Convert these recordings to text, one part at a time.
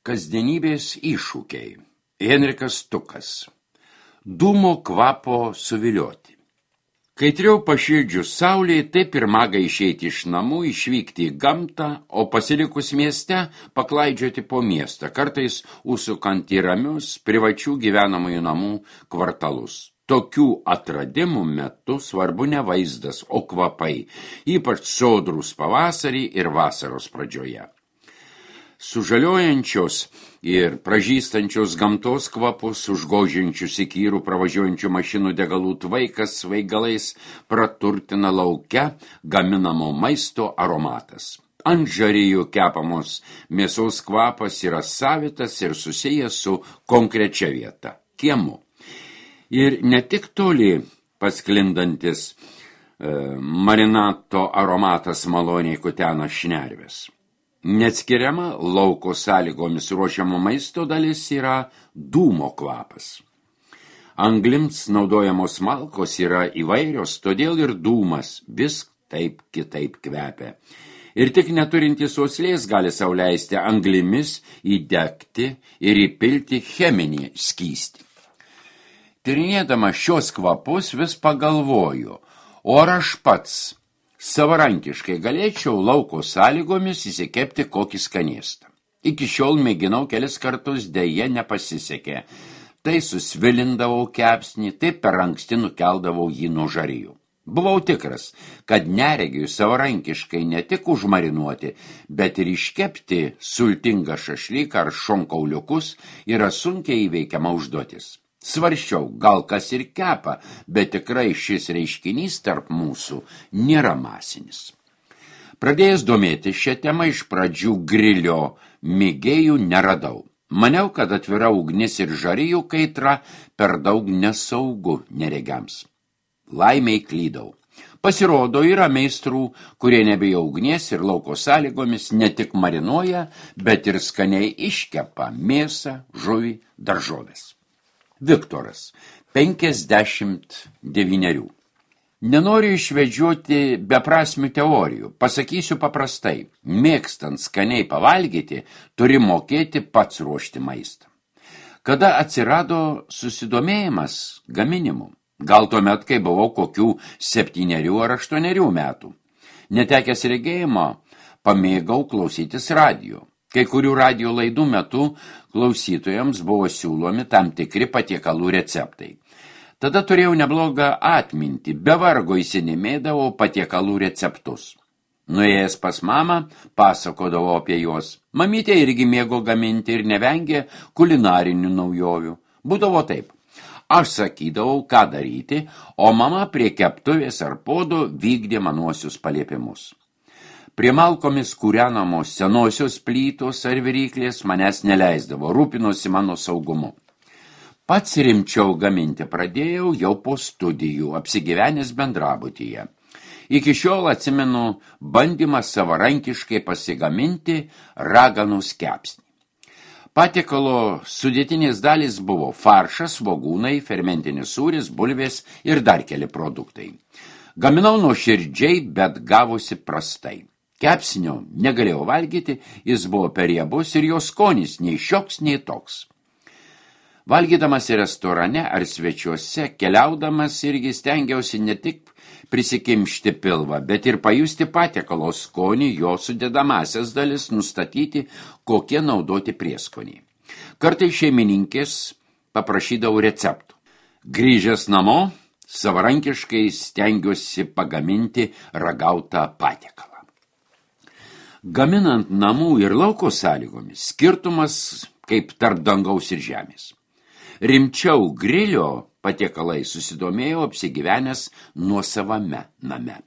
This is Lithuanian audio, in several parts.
Kasdienybės iššūkiai. Henrikas Tukas. Dūmo kvapo suvilioti. Kaitriau pašildžius saulėje, taip ir maga išeiti iš namų, išvykti į gamtą, o pasilikus mieste paklaidžioti po miestą, kartais užsukant į ramius privačių gyvenamųjų namų kvartalus. Tokių atradimų metu svarbu ne vaizdas, o kvapai, ypač sodrūs pavasarį ir vasaros pradžioje. Sužaliojančios ir pražystančios gamtos kvapus, užgožiančius įkyrų pravažiuojančių mašinų degalų tvaikas svaigalais praturtina lauke gaminamo maisto aromatas. Ant žarijų kepamos mėsos kvapas yra savitas ir susijęs su konkrečia vieta – kiemu. Ir ne tik toli pasklindantis marinato aromatas maloniai kutena šnerves. Neatskiriama lauko sąlygomis ruošiamo maisto dalis yra dūmo kvapas. Anglims naudojamos malkos yra įvairios, todėl ir dūmas vis taip kitaip kvepia. Ir tik neturintys uoslės gali sau leisti anglimis įdegti ir įpilti cheminį skystį. Tyrinėdama šios kvapus vis pagalvoju, o ar aš pats savarankiškai galėčiau lauko sąlygomis įsikepti kokį skanėstą. Iki šiol mėginau kelis kartus, deja nepasisekė. Tai susvilindavau kepsnį, tai per anksti nukeldavau jį nuo žarijų. Buvau tikras, kad neregiui savarankiškai ne tik užmarinuoti, bet ir iškepti sultingą šašlyką ar šonkauliukus yra sunkiai įveikiama užduotis. Svarsčiau, gal kas ir kepa, bet tikrai šis reiškinys tarp mūsų nėra masinis. Pradėjęs domėti šią temą, iš pradžių grilio mėgėjų neradau. Maniau, kad atvira ugnis ir žarijų kaitra per daug nesaugu neregiams. Laimiai klydau. Pasirodo, yra meistrų, kurie nebijo ugnies ir lauko sąlygomis ne tik marinuoja, bet ir skaniai iškepa mėsą, žuvį, daržoves. Viktoras, 59. Nenoriu išvedžioti beprasmių teorijų, pasakysiu paprastai, mėgstant skaniai pavalgyti, turi mokėti pats ruošti maistą. Kada atsirado susidomėjimas gaminimu? Gal tuomet, kai buvau kokių 7 ar 8 metų. Netekęs regėjimo, pamėgau klausytis radijo. Kai kurių radijo laidų metu klausytojams buvo siūlomi tam tikri patiekalų receptai. Tada turėjau neblogą atmintį, be vargo įsinimėdavau patiekalų receptus. Nuėjęs pas mamą, pasakodavau apie juos. Mamytė irgi mėgo gaminti ir nevengė kulinarinių naujovių. Būdavo taip. Aš sakydavau, ką daryti, o mama prie keptuvės ar podo vykdė manuosius paliepimus. Prie malkomis kūrenamos senosios plytos ar viryklės manęs neleisdavo, rūpinosi mano saugumu. Pats rimčiau gaminti pradėjau jau po studijų, apsigyvenęs bendrabutyje. Iki šiol atsimenu bandymą savarankiškai pasigaminti raganus kepsnį. Patiekalo sudėtinės dalys buvo faršas, svogūnai, fermentinis sūris, bulvės ir dar keli produktai. Gaminau nuoširdžiai, bet gavosi prastai. Kepsnio negalėjau valgyti, jis buvo per riebus ir jo skonis nei šioks, nei toks. Valgydamas restorane ar svečiuose, keliaudamas irgi stengiausi ne tik prisikimšti pilvą, bet ir pajusti patiekalo skonį, jo sudedamasias dalis, nustatyti, kokie naudoti prieskoniai. Kartais šeimininkės paprašydavau receptų. Grįžęs namo, savarankiškai stengiuosi pagaminti ragautą patiekalą. Gaminant namų ir lauko sąlygomis, skirtumas kaip tarp dangaus ir žemės. Rimčiau grilio patiekalai susidomėjau apsigyvenęs nuosavame name.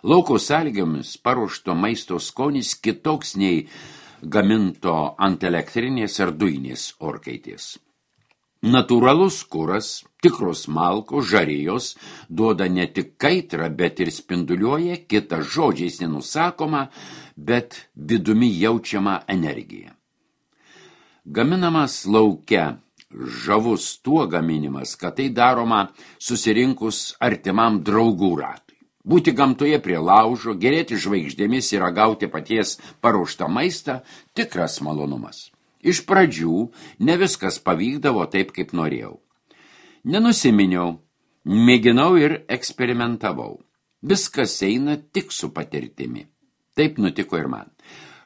Lauko sąlygomis paruošto maisto skonis kitoks nei gaminto ant elektrinės ar dujinės orkaitės. Natūralus kuras, tikros malkos, žarijos duoda ne tik kaitrą, bet ir spinduliuoja kitą žodžiais nenusakoma, bet vidumi jaučiama energija. Gaminamas lauke žavus tuo gaminimas, kad tai daroma susirinkus artimam draugų ratui. Būti gamtoje prie laužo, gerėti žvaigždėmis ir ragauti paties paruoštą maistą – tikras malonumas. Iš pradžių ne viskas pavykdavo taip, kaip norėjau. Nenusiminiau, mėginau ir eksperimentavau. Viskas eina tik su patirtimi. Taip nutiko ir man.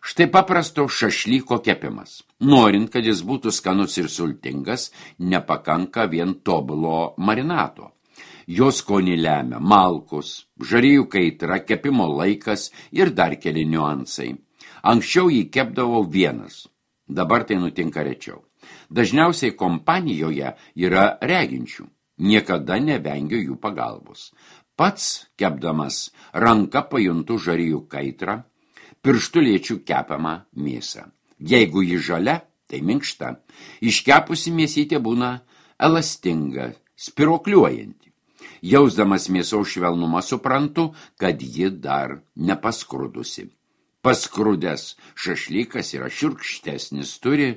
Štai paprasto šašlyko kepimas. Norint, kad jis būtų skanus ir sultingas, nepakanka vien tobulo marinato. Jo skonį lemia malkus, žarijų kaitra, kepimo laikas ir dar keli niuansai. Anksčiau jį kepdavau vienas, dabar tai nutinka rečiau. Dažniausiai kompanijoje yra reginčių, niekada nevengiu jų pagalbos. Pats kepdamas ranka pajuntu žarijų kaitrą, pirštu liečiu kepamą mėsą. Jeigu ji žalia, tai minkšta. Iškepusi mėsytė būna elastinga, spirokliuojanti. Jausdamas mėsos švelnumą suprantu, kad ji dar nepaskrudusi. Paskrudęs šašlykas yra šiurkštesnis, turi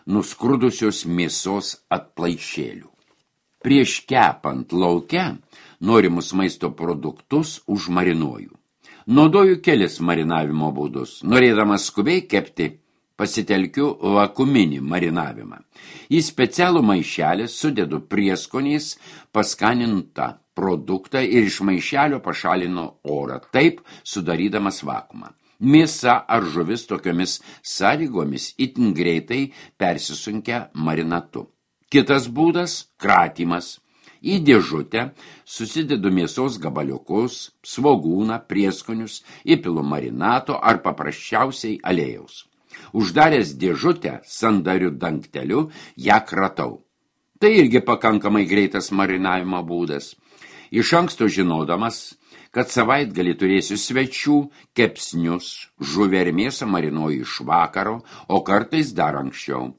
nuskrudusios mėsos atplaišėlių. Prieš kepant lauke norimus maisto produktus užmarinuoju. Naudoju kelis marinavimo būdus. Norėdamas skubiai kepti, pasitelkiu vakuuminį marinavimą. Į specialų maišelį sudedu prieskoniais paskanintą produktą ir iš maišelio pašalinu orą, taip sudarydamas vakuumą. Mėsa ar žuvis tokiomis sąlygomis itin greitai persisunkia marinatu. Kitas būdas – kratymas. Į dėžutę susidedu mėsos gabaliukus, svogūną, prieskonius, įpilu marinato ar paprasčiausiai aliejaus. Uždaręs dėžutę sandariu dangteliu, ją kratau. Tai irgi pakankamai greitas marinavimo būdas. Iš anksto žinodamas, kad savaitgalį turėsiu svečių, kepsnius, žuvį ir mėsą marinuoju iš vakaro, o kartais dar anksčiau.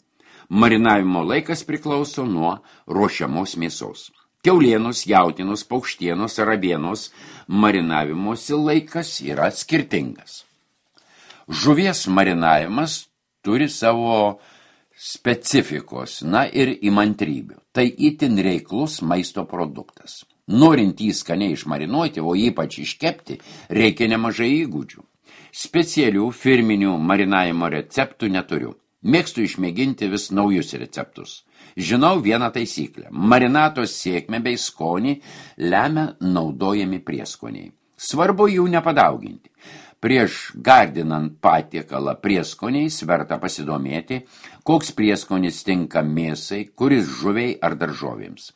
Marinavimo laikas priklauso nuo ruošiamos mėsos. Kiaulienos, jautienos, paukštienos ar avienos marinavimosi laikas yra skirtingas. Žuvies marinavimas turi savo specifikos, ir įmantrybių. Tai itin reiklus maisto produktas. Norint jį skaniai išmarinuoti, o ypač iškepti, reikia nemažai įgūdžių. Specialių firminių marinavimo receptų neturiu. Mėgstu išmėginti vis naujus receptus. Žinau vieną taisyklę. Marinatos sėkmę bei skonį lemia naudojami prieskoniai. Svarbu jų nepadauginti. Prieš gardinant patiekalą prieskoniais verta pasidomėti, koks prieskonis tinka mėsai, kuris žuviai ar daržovėms.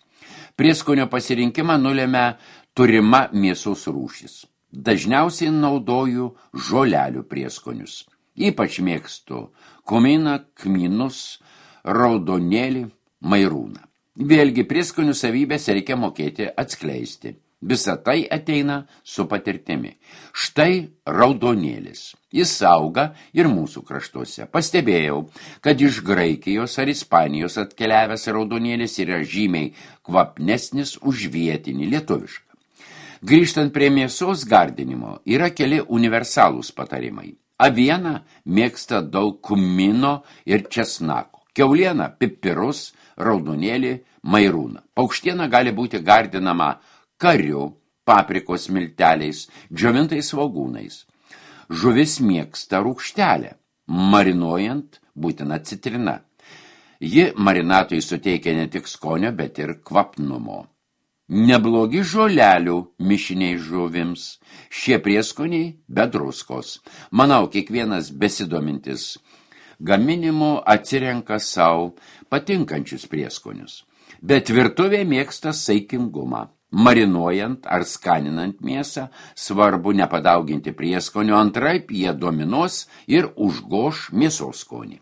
Prieskonio pasirinkimą nulemia turima mėsos rūšis. Dažniausiai naudoju žolelių prieskonius. Ypač mėgstu kuminą, kmynus, raudonėlį, mairūną. Vėlgi prieskonių savybės reikia mokėti atskleisti. Visa tai ateina su patirtimi. Štai raudonėlis. Jis auga ir mūsų kraštuose. Pastebėjau, kad iš Graikijos ar Ispanijos atkeliavęs raudonėlis yra žymiai kvapnesnis už vietinį lietuvišką. Grįžtant prie mėsos gardinimo, yra keli universalūs patarimai. Aviena mėgsta daug kumino ir česnako. Kiauliena pipirus, raudonėlį, mairūną. Paukštiena gali būti gardinama kariu, paprikos milteliais, džiovintais svogūnais. Žuvis mėgsta rūgštelę, marinuojant būtina citrina. Ji marinatui suteikia ne tik skonio, bet ir kvapnumo. Neblogi žolelių mišiniai žuvims. Šie prieskoniai be druskos. Manau, kiekvienas besidomintis gaminimu atsirenka savo patinkančius prieskonius. Bet virtuvė mėgsta saikingumą. Marinuojant ar skaninant mėsą, svarbu nepadauginti prieskonių, antraip jie dominuos ir užgoš mėsos skonį.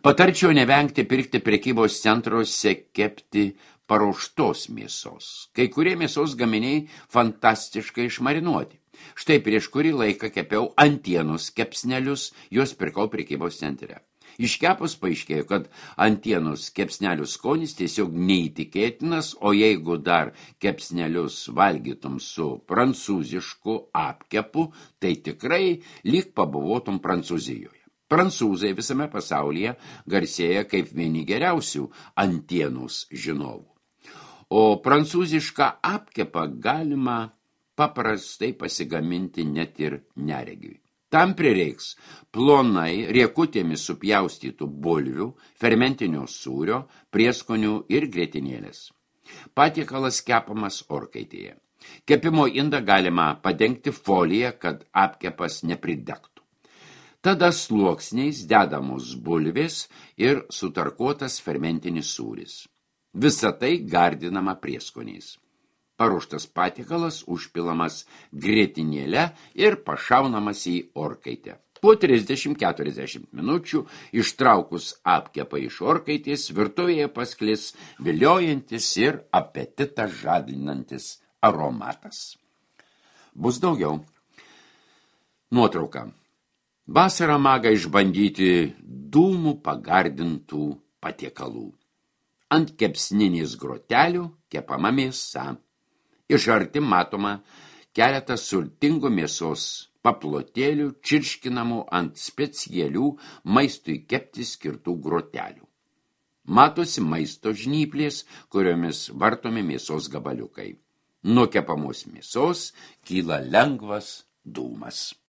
Patarčiau nevengti pirkti prekybos centruose kepti paruoštos mėsos. Kai kurie mėsos gaminiai fantastiškai išmarinuoti. Štai prieš kurį laiką kepiau antienos kepsnelius, juos pirkau prekybos centre. Iškepus paaiškėjo, kad antienos kepsnelių skonis tiesiog neįtikėtinas, o jeigu dar kepsnelius valgytum su prancūzišku apkepu, tai tikrai lyg pabuvotum Prancūzijoje. Prancūzai visame pasaulyje garsėja kaip vieni geriausių antienos žinovų. O prancūzišką apkepą galima paprastai pasigaminti net ir neregiui. Tam prireiks plonai riekutėmis supjaustytų bulvių, fermentinio sūrio, prieskonių ir grietinėlės. Patiekalas kepamas orkaitėje. Kepimo indą galima padengti foliją, kad apkepas nepridegtų. Tada sluoksniais dedamos bulvės ir sutarkuotas fermentinis sūris. Visa tai gardinama prieskoniais. Paruoštas patiekalas užpilamas grietinėle ir pašaunamas į orkaitę. Po 30-40 minučių ištraukus apkepą iš orkaitės virtuvėje pasklis viliojantis ir apetitą žadinantis aromatas. Bus daugiau. Nuotrauka. Vasarą maga išbandyti dūmų pagardintų patiekalų. Ant kepsninės grotelių kepama mėsa. Iš arti matoma keletas sultingų mėsos paplotėlių čirškinamų ant specialių maistui kepti skirtų grotelių. Matosi maisto žnyplės, kuriomis vartomi mėsos gabaliukai. Nuo kepamos mėsos kyla lengvas dūmas.